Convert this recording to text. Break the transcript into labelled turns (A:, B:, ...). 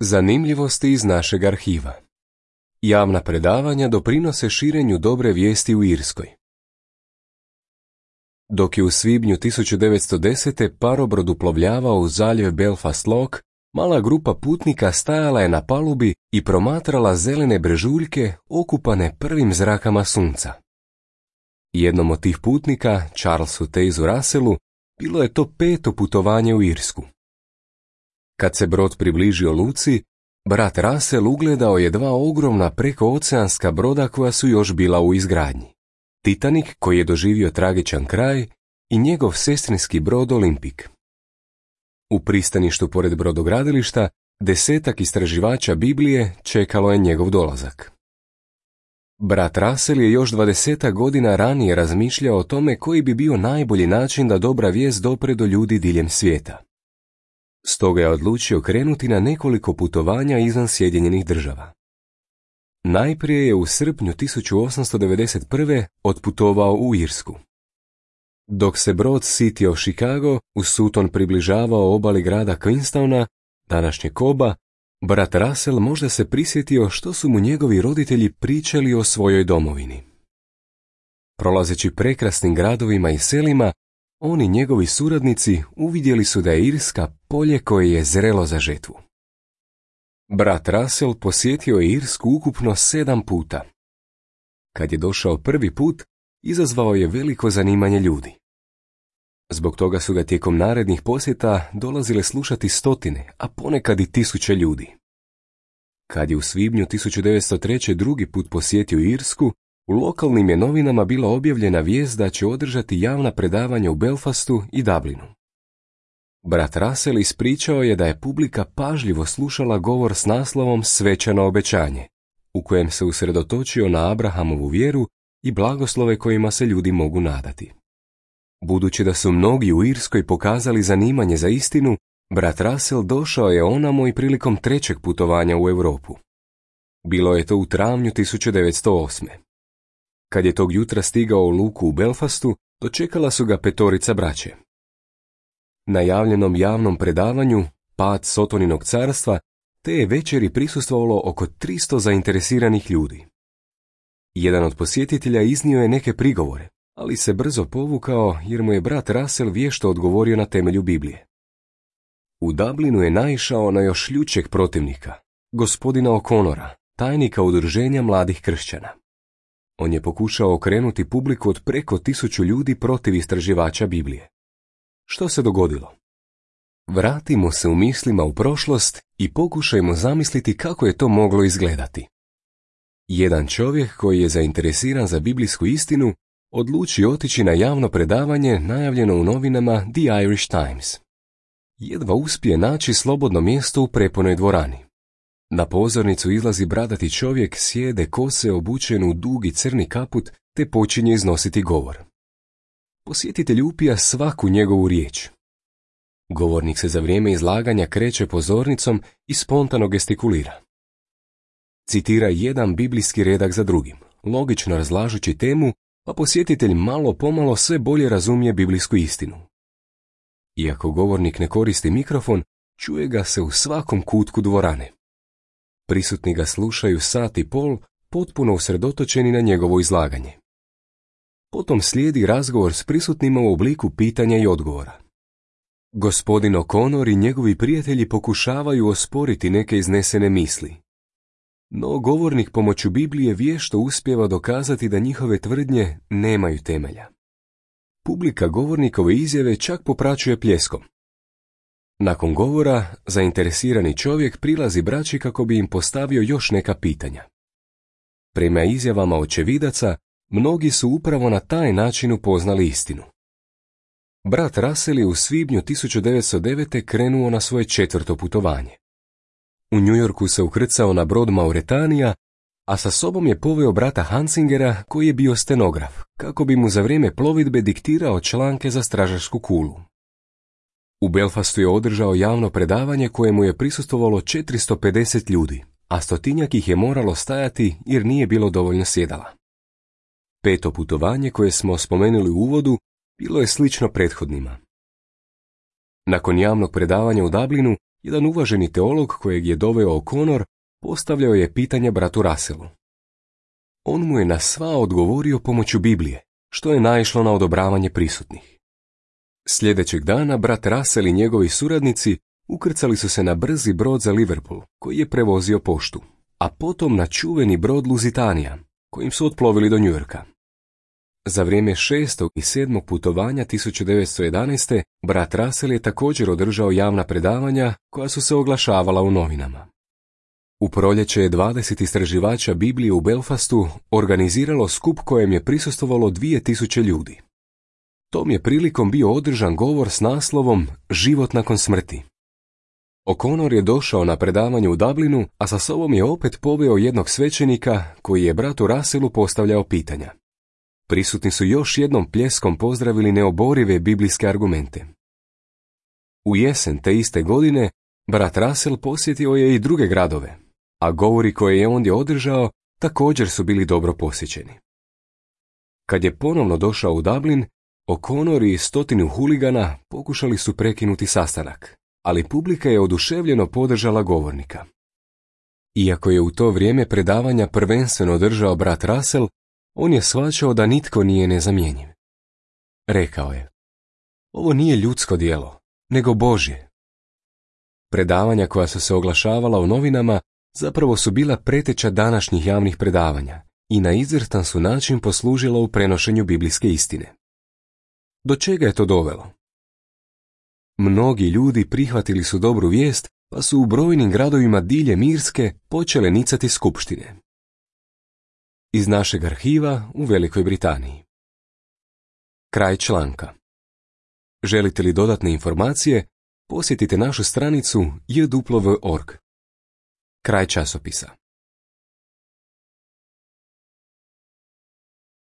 A: Zanimljivosti iz našeg arhiva. Javna predavanja doprinose širenju dobre vijesti u Irskoj. Dok je u svibnju 1910. parobrod uplovljavao u zaljev Belfast Lough, mala grupa putnika stajala je na palubi i promatrala zelene brežuljke okupane prvim zrakama sunca. Jednom od tih putnika, Charlesu Tazu Russellu, bilo je to 5. putovanje u Irsku. Kad se brod približio luci, brat Russell ugledao je 2 ogromna prekooceanska broda koja su još bila u izgradnji. Titanic, koji je doživio tragičan kraj, i njegov sestrinski brod Olympic. U pristaništu pored brodogradilišta 10 istraživača Biblije čekalo je njegov dolazak. Brat Russell je još 20 godina ranije razmišljao o tome koji bi bio najbolji način da dobra vijest dopre do ljudi diljem svijeta. Stoga je odlučio krenuti na nekoliko putovanja izvan Sjedinjenih Država. Najprije je u srpnju 1891. otputovao u Irsku. Dok se brod City of Chicago u Sutton približavao obali grada Queenstowna, današnje Koba, brat Russell možda se prisjetio što su mu njegovi roditelji pričali o svojoj domovini. Prolazeći prekrasnim gradovima i selima, on i njegovi suradnici uvidjeli su da je Irska polje koje je zrelo za žetvu. Brat Russell posjetio je Irsku ukupno 7 puta. Kad je došao prvi put, izazvao je veliko zanimanje ljudi. Zbog toga su ga tijekom narednih posjeta dolazile slušati stotine, a ponekad i 1000 ljudi. Kad je u svibnju 1903. drugi put posjetio Irsku, u lokalnim je novinama bila objavljena vijest da će održati javna predavanja u Belfastu i Dublinu. Brat Russell ispričao je da je publika pažljivo slušala govor s naslovom Svečano obećanje, u kojem se usredotočio na Abrahamovu vjeru i blagoslove kojima se ljudi mogu nadati. Budući da su mnogi u Irskoj pokazali zanimanje za istinu, brat Russell došao je onamo i prilikom 3. putovanja u Europu. Bilo je to u travnju 1908. Kad je tog jutra stigao u luku u Belfastu, dočekala su ga 5 braće. Na javljenom javnom predavanju Pad Sotoninog carstva te je večeri prisustvovalo oko 300 zainteresiranih ljudi. Jedan od posjetitelja iznio je neke prigovore, ali se brzo povukao jer mu je brat Russell vješto odgovorio na temelju Biblije. U Dublinu je naišao na još ljućeg protivnika, gospodina O'Connora, tajnika udruženja mladih kršćana. On je pokušao okrenuti publiku od preko 1000 ljudi protiv istraživača Biblije. Što se dogodilo? Vratimo se u mislima u prošlost i pokušajmo zamisliti kako je to moglo izgledati. Jedan čovjek koji je zainteresiran za biblijsku istinu odluči otići na javno predavanje najavljeno u novinama The Irish Times. Jedva uspije naći slobodno mjesto u prepunoj dvorani. Na pozornicu izlazi bradati čovjek, sjede kose, obučen u dugi crni kaput, te počinje iznositi govor. Posjetitelj upija svaku njegovu riječ. Govornik se za vrijeme izlaganja kreće pozornicom i spontano gestikulira. Citira jedan biblijski redak za drugim, logično razlažući temu, pa posjetitelj malo pomalo sve bolje razumije biblijsku istinu. Iako govornik ne koristi mikrofon, čuje ga se u svakom kutku dvorane. Prisutni ga slušaju 1,5 sata, potpuno usredotočeni na njegovo izlaganje. Potom slijedi razgovor s prisutnima u obliku pitanja i odgovora. Gospodin O'Connor i njegovi prijatelji pokušavaju osporiti neke iznesene misli. No govornik pomoću Biblije vješto uspijeva dokazati da njihove tvrdnje nemaju temelja. Publika govornikove izjave čak popraćuje pljeskom. Nakon govora, zainteresirani čovjek prilazi braći kako bi im postavio još neka pitanja. Prema izjavama očevidaca, mnogi su upravo na taj način upoznali istinu. Brat Russell je u svibnju 1909. krenuo na svoje 4. putovanje. U New Yorku se ukrcao na brod Mauretanija, a sa sobom je poveo brata Hansingera koji je bio stenograf, kako bi mu za vrijeme plovidbe diktirao članke za stražarsku kulu. U Belfastu je održao javno predavanje kojemu je prisustvovalo 450 ljudi, a 100-tinjak ih je moralo stajati jer nije bilo dovoljno sjedala. 5. putovanje koje smo spomenuli u uvodu bilo je slično prethodnima. Nakon javnog predavanja u Dublinu, jedan uvaženi teolog kojeg je doveo O'Connor postavljao je pitanje bratu Russellu. On mu je na sva odgovorio pomoću Biblije, što je naišlo na odobravanje prisutnih. Sljedećeg dana brat Russell i njegovi suradnici ukrcali su se na brzi brod za Liverpool, koji je prevozio poštu, a potom na čuveni brod Lusitania, kojim su otplovili do Njujorka. Za vrijeme 6. i 7. putovanja 1911. brat Russell je također održao javna predavanja koja su se oglašavala u novinama. U proljeće je 20 istraživača Biblije u Belfastu organiziralo skup kojem je prisustvovalo 2000 ljudi. Tom je prilikom bio održan govor s naslovom Život nakon smrti. O'Connor je došao na predavanje u Dublinu, a sa sobom je opet poveo jednog svećenika koji je bratu Russellu postavljao pitanja. Prisutni su još jednom pljeskom pozdravili neoborive biblijske argumente. U jesen te iste godine brat Russell posjetio je i druge gradove, a govori koje je ondje održao također su bili dobro posjećeni. Kad je ponovno došao u Dublin, O'Connor i 100 huligana pokušali su prekinuti sastanak, ali publika je oduševljeno podržala govornika. Iako je u to vrijeme predavanja prvenstveno držao brat Russell, on je shvaćao da nitko nije nezamjenjiv. Rekao je: ovo nije ljudsko djelo, nego Božje. Predavanja koja su se oglašavala u novinama zapravo su bila preteča današnjih javnih predavanja i na izvrstan su način poslužila u prenošenju biblijske istine. Do čega je to dovelo? Mnogi ljudi prihvatili su dobru vijest, pa su u brojnim gradovima diljem Irske počele nicati skupštine. Iz našeg arhiva u Velikoj Britaniji. Kraj članka. Želite li dodatne informacije? Posjetite našu stranicu jw.org. Kraj časopisa.